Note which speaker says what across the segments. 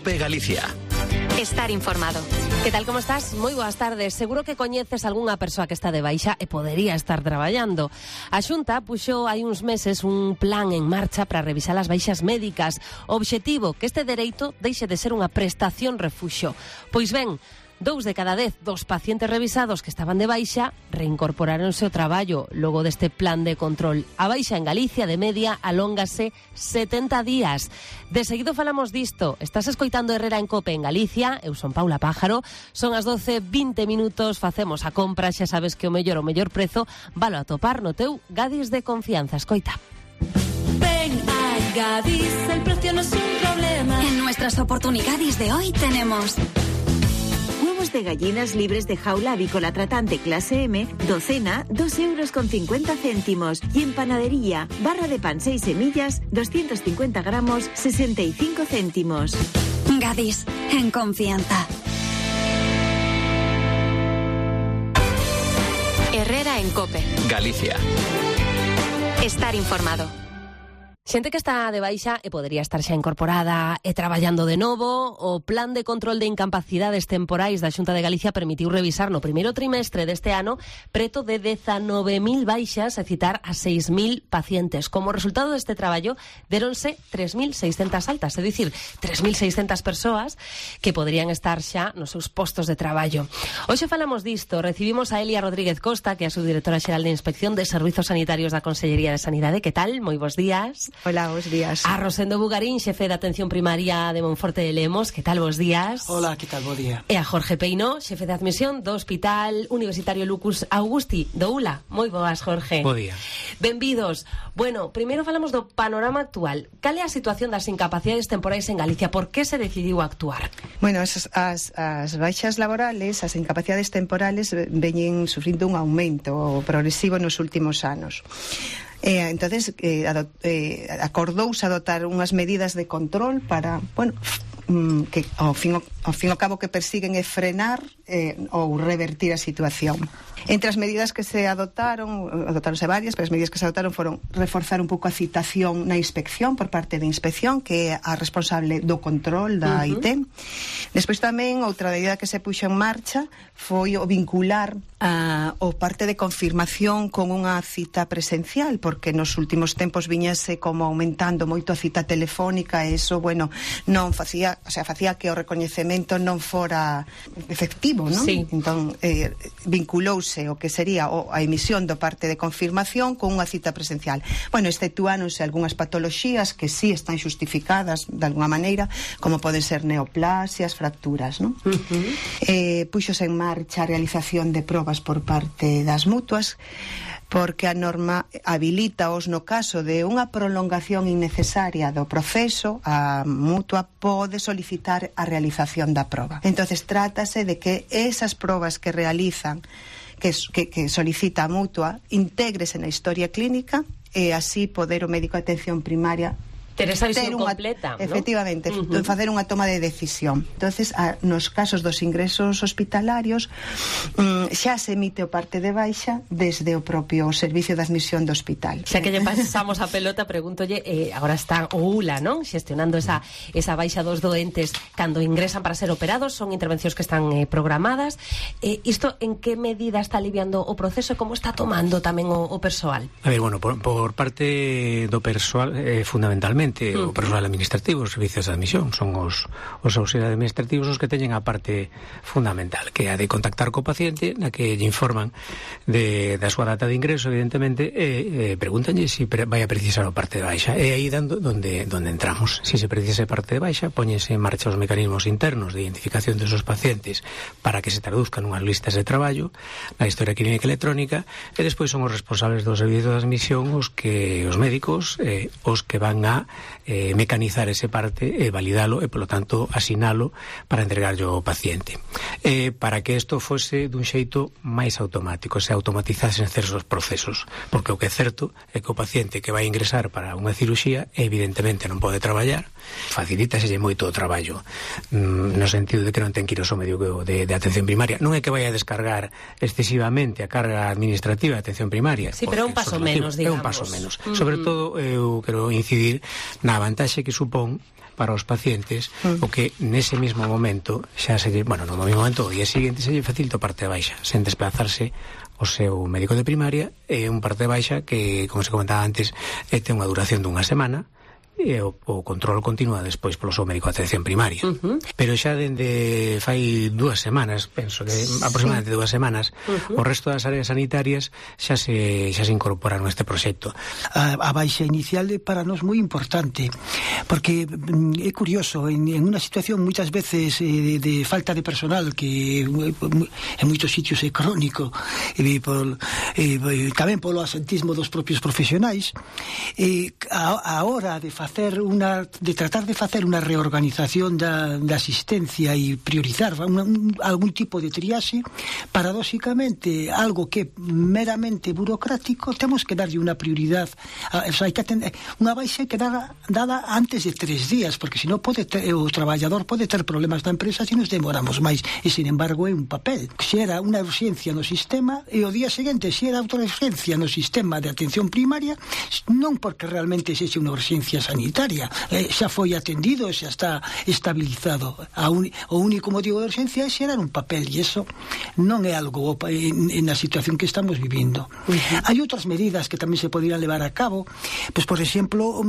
Speaker 1: COPE Galicia.
Speaker 2: Estar informado.
Speaker 3: Que tal, como estás? Moi boas tardes. Seguro que coñeces algunha persoa que está de baixa e podería estar traballando. A Xunta puxo hai uns meses un plan en marcha para revisar as baixas médicas. O obxectivo, que este dereito deixe de ser unha prestación refuxo. Pois ben, 2 de cada 10 dos pacientes revisados que estaban de baixa reincorporáronse ao traballo logo deste plan de control. A baixa en Galicia de media alóngase 70 días. De seguido falamos disto. Estás escoitando Herrera en Cope en Galicia. Eu son Paula Pájaro. Son as 12:20 minutos. Facemos a compra. Xa sabes que o mellor prezo valo a topar no teu Gadis de confianza. Escoita.
Speaker 4: Ven a Gadis, el precio no es un problema.
Speaker 2: En nuestras oportunidades de hoy tenemos
Speaker 5: huevos de gallinas libres de jaula avícola tratante clase M, docena, 2,50 €. Y en panadería, barra de pan 6 semillas, 250 gramos, 65 céntimos.
Speaker 2: Gadis, en confianza. Herrera en Cope
Speaker 1: Galicia.
Speaker 2: Estar informado.
Speaker 3: Xente que está de baixa e podería estar xa incorporada e traballando de novo. O Plan de Control de Incapacidades Temporais da Xunta de Galicia permitiu revisar no primeiro trimestre deste ano preto de 19.000 baixas e citar a 6.000 pacientes. Como resultado deste traballo, deronse 3.600 altas, é dicir, 3.600 persoas que poderían estar xa nos seus postos de traballo. Hoxe falamos disto. Recibimos a Elia Rodríguez Costa, que é a subdirectora xeral de Inspección de Servizos Sanitarios da Consellería de Sanidade. Que tal? Moi bons días.
Speaker 6: Hola, bons días.
Speaker 3: A Rosendo Bugarín, xefe de Atención Primaria de Monforte de Lemos. Que tal, bons días?
Speaker 6: Hola, que tal, bo día.
Speaker 3: E a Jorge Peino, xefe de admisión do Hospital Universitario Lucas Augusti do ULA. Moi boas, Jorge.
Speaker 6: Bo día.
Speaker 3: Benvidos. Bueno, primeiro falamos do panorama actual. Cal é a situación das incapacidades temporais en Galicia? Por que se decidiu actuar?
Speaker 6: Bueno, as baixas laborales, as incapacidades temporales veñen sufrindo un aumento progresivo nos últimos anos. Entonces acordouse adoptar unhas medidas de control para, bueno, que ao fin ao cabo que persiguen é frenar ou revertir a situación. Entre as medidas que se adoptaronse varias, pero as medidas que se adoptaron foron reforzar un pouco a citación na inspección por parte de inspección, que é a responsable do control da IT. Despois tamén outra medida que se puxo en marcha foi o vincular o parte de confirmación con unha cita presencial, porque nos últimos tempos viñase como aumentando moito a cita telefónica e iso, bueno, non facía que o recoñecemento non fora efectivo, non?
Speaker 3: Sí.
Speaker 6: Entón, vinculouse o que sería a emisión do parte de confirmación con unha cita presencial. Bueno, exceptuáronse algunhas patoloxías que sí están xustificadas de alguna maneira, como poden ser neoplasias, fracturas, non? Puxose en marcha a realización de probas por parte das mutuas, porque a norma habilitaos no caso de unha prolongación innecesaria do proceso, a mutua pode solicitar a realización da proba. Entonces trátase de que esas probas que realizan, que solicita a mutua, intégrese na historia clínica e así poder o médico de atención primaria
Speaker 3: ter esa visión completa, ¿no?
Speaker 6: Efectivamente, facer unha toma de decisión. Entonces, nos casos dos ingresos hospitalarios xa se emite o parte de baixa desde o propio servicio de admisión do hospital.
Speaker 3: Xa que lle pasamos a pelota, pregúntolle, agora está o ULA, non? Xestionando esa baixa dos doentes cando ingresan para ser operados, son intervencións que están programadas. Isto en que medida está aliviando o proceso e como está tomando tamén o persoal?
Speaker 7: A ver, bueno, por parte do persoal, fundamentalmente o persoal administrativo, os servicios de admisión son os auxiliares administrativos os que teñen a parte fundamental, que é a de contactar co paciente, na que lle informan da súa data de ingreso, evidentemente, e pregúntanlle se vai a precisar o parte de baixa. E aí donde entramos. Se precisa parte de baixa, póñense en marcha os mecanismos internos de identificación desos pacientes para que se traduzcan unhas listas de traballo na historia clínica electrónica, e despois son os responsables do servicio de admisión os médicos os que van a mecanizar ese parte e validalo e, polo tanto, asinalo para entregarlo ao paciente. Para que isto fose dun xeito máis automático, se automatizasen certos procesos, porque o que é certo é que o paciente que vai ingresar para unha cirurxía evidentemente non pode traballar, facilítaselle moito o traballo, no sentido de que non ten que ir ao seu médico de atención primaria. Non é que vai a descargar excesivamente a carga administrativa de atención primaria.
Speaker 3: Sí, pero é un paso menos, digamos.
Speaker 7: É un paso menos. Sobre todo, eu quero incidir na vantaxe que supón para os pacientes, o que nese mesmo momento xa se lle, no mesmo momento, o día seguinte se lle facilita parte de baixa, sen desplazarse o seu médico de primaria, e un parte de baixa que, como se comentaba antes, ten unha duración dunha semana, e o control continúa despois polo seu médico de atención primaria. Pero xa dende fai 2 semanas, penso que aproximadamente 2 semanas, o resto das áreas sanitarias xa se incorporaron a este proxecto.
Speaker 1: A baixa inicial é para nós moi importante, porque é curioso, en unha situación moitas veces de falta de personal, que en moitos sitios é crónico, tamén polo asentismo dos propios profesionais, a hora de tratar de facer unha reorganización da asistencia e priorizar algún tipo de triaxe, paradóxicamente, algo que meramente burocrático, temos que darlle unha prioridade, hai que atender unha baixa que dada antes de 3 días, porque senón o traballador pode ter problemas na empresa se nos demoramos máis, e sin embargo é un papel. Se era unha urxencia no sistema, e o día seguinte se era outra urxencia no sistema de atención primaria, non porque realmente sexe unha urxencia sanitaria, xa foi atendido, xa está estabilizado. O único motivo de urxencia é xerar un papel, e iso non é algo na situación que estamos vivindo. Hai outras medidas que tamén se poderían levar a cabo, pois, por exemplo,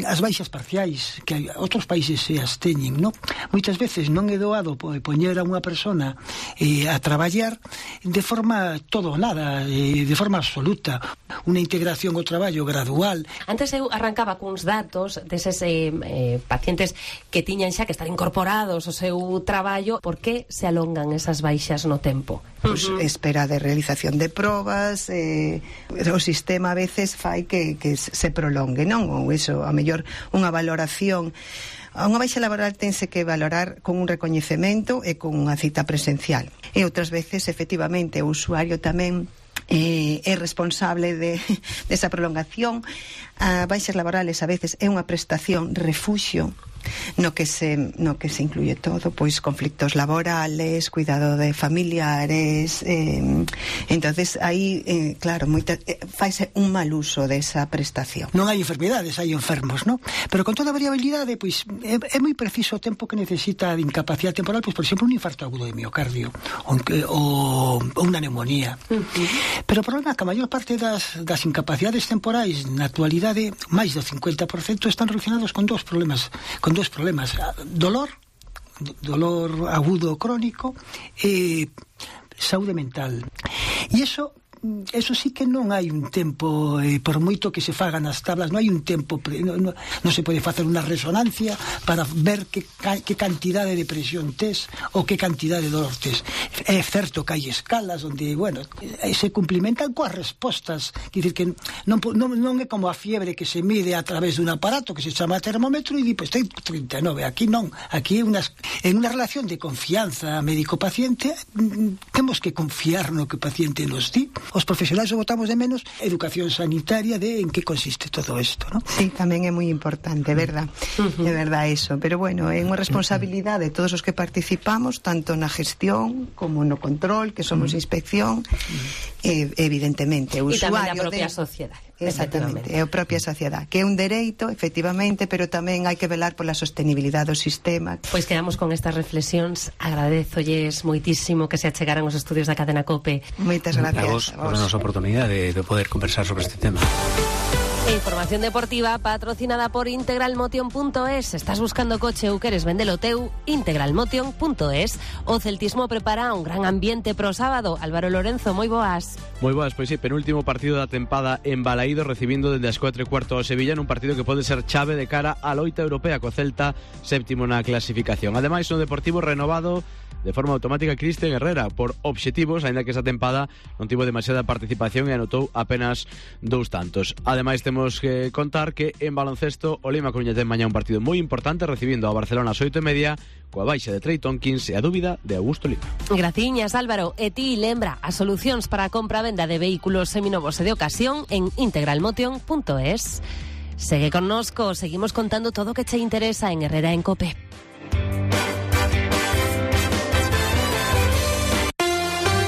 Speaker 1: as baixas parciais, que outros países se as teñen, non? Moitas veces non é doado poñer a unha persona a traballar de forma todo ou nada, de forma absoluta, unha integración ao traballo gradual.
Speaker 3: Antes eu arrancaba cuns datos deses pacientes que tiñan xa que estar incorporados ao seu traballo. Por que se alongan esas baixas no tempo?
Speaker 6: Pues espera de realización de probas, o sistema a veces fai que se prolongue, non? Ou iso, a mellor unha valoración. Unha baixa laboral tense que valorar con un recoñecemento e con unha cita presencial. E outras veces, efectivamente, o usuario tamén é responsable desa prolongación. A baixas laborales a veces é unha prestación refuxio no que se incluye todo, pois conflictos laborales, cuidado de familiares, entonces aí, claro, faise un mal uso desa prestación.
Speaker 1: Non hai enfermedades, hai enfermos, non? Pero con toda a variabilidade, pois é moi preciso o tempo que necesita de incapacidade temporal, pois, por exemplo, un infarto agudo de miocardio ou unha neumonía. Pero o problema é que a maior parte das incapacidades temporais na actualidade, máis do 50%, están relacionados con dous problemas, dolor agudo crónico e saúde mental. E eso sí que non hai un tempo, por moito que se fagan as tablas, non hai un tempo, non se pode facer unha resonancia para ver que cantidade de presión tes ou que cantidade de dolor tes. É certo que hai escalas onde, se cumplimentan coas respostas, quer dizer que non é como a fiebre que se mide a través dun aparato que se chama termómetro e di, pois ten 39, aquí non, aquí en unha relación de confianza médico-paciente, temos que confiar no que o paciente nos di. Os profesionais o botamos de menos educación sanitaria de en que consiste todo isto, ¿no?
Speaker 6: Sí, tamén é moi importante, verdad? É verdad eso, pero bueno, é unha responsabilidade de todos os que participamos, tanto na gestión como no control, que somos inspección, evidentemente, o usuario
Speaker 3: e tamén a propia sociedade.
Speaker 6: Exactamente, é a propia sociedade, que é un dereito, efectivamente, pero tamén hai que velar pola sostenibilidade do sistema.
Speaker 3: Pois quedamos con estas reflexións. Agradezolles moitísimo que se achegaran os estudios da Cadena COPE.
Speaker 6: Moitas gracias
Speaker 7: a vos por a nosa oportunidade de poder conversar sobre este tema.
Speaker 3: Información deportiva patrocinada por integralmotion.es. Estás buscando coche ou queres vendelo teu? Integralmotion.es. O celtismo prepara un gran ambiente pro sábado. Álvaro Lorenzo, moi boas.
Speaker 8: Moi boas, pois sí, penúltimo partido da tempada en Balaído, recibindo dende as 4:15 ao Sevilla nun partido que pode ser chave de cara á loita europea co Celta, séptimo na clasificación. Ademais, no Deportivo renovado de forma automática Cristian Herrera por obxectivos, aínda que esa tempada non tivo demasiada participación e anotou apenas 2 tantos. Ademais, temos que contar que en baloncesto o Lima Coruña ten mañá un partido moi importante, recibindo a Barcelona ás 8:30 coa baixa de Trey Tompkins e a dúbida de Augusto Lima.
Speaker 3: Graciñas, Álvaro. E ti lembra as solucións para a compra-venda de vehículos seminovos e de ocasión en integralmotion.es. Segue connosco, seguimos contando todo o que che interesa en Herrera en COPE.